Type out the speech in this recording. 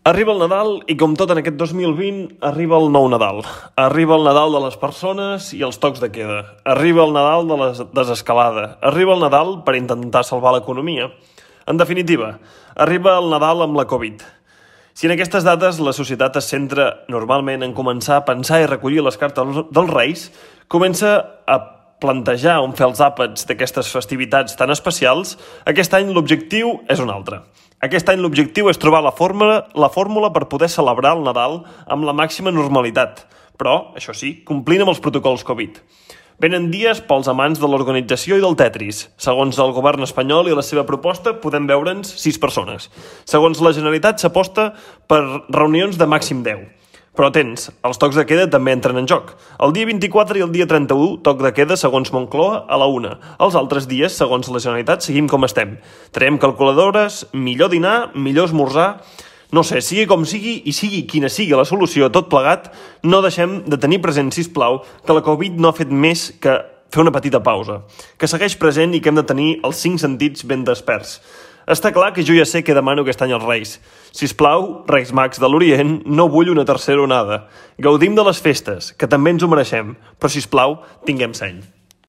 Arriba el Nadal i, com tot en aquest 2020, arriba el nou Nadal. Arriba el Nadal de les persones i els tocs de queda. Arriba el Nadal de la desescalada. Arriba el Nadal per intentar salvar l'economia. En definitiva, arriba el Nadal amb la Covid. Si en aquestes dates la societat es centra normalment en començar a pensar i recollir les cartes dels Reis, comença a plantejar on fer els àpats d'aquestes festivitats tan especials, aquest any l'objectiu és un altre. Aquest any l'objectiu és trobar la fórmula per poder celebrar el Nadal amb la màxima normalitat, però, això sí, complint amb els protocols Covid. Venen dies pels amants de l'organització i del Tetris. Segons el govern espanyol i la seva proposta, podem veure'ns 6 persones. Segons la Generalitat, s'aposta per reunions de màxim 10. Però atents, els tocs de queda també entren en joc. El dia 24 i el dia 31, toc de queda segons Moncloa a la 1. Els altres dies, segons la Generalitat, seguim com estem. Traiem calculadores, millor dinar, millor esmorzar. No sé, sigui com sigui i sigui quina sigui la solució a tot plegat, no deixem de tenir present, sisplau, que la Covid no ha fet més que fer una petita pausa, que segueix present i que hem de tenir els 5 sentits ben desperts. Està clar que jo ja sé què demano aquest any als Reis. Sisplau, Reis Mags de l'Orient, no vull una tercera onada. Gaudim de les festes, que també ens ho mereixem, però sisplau, tinguem seny.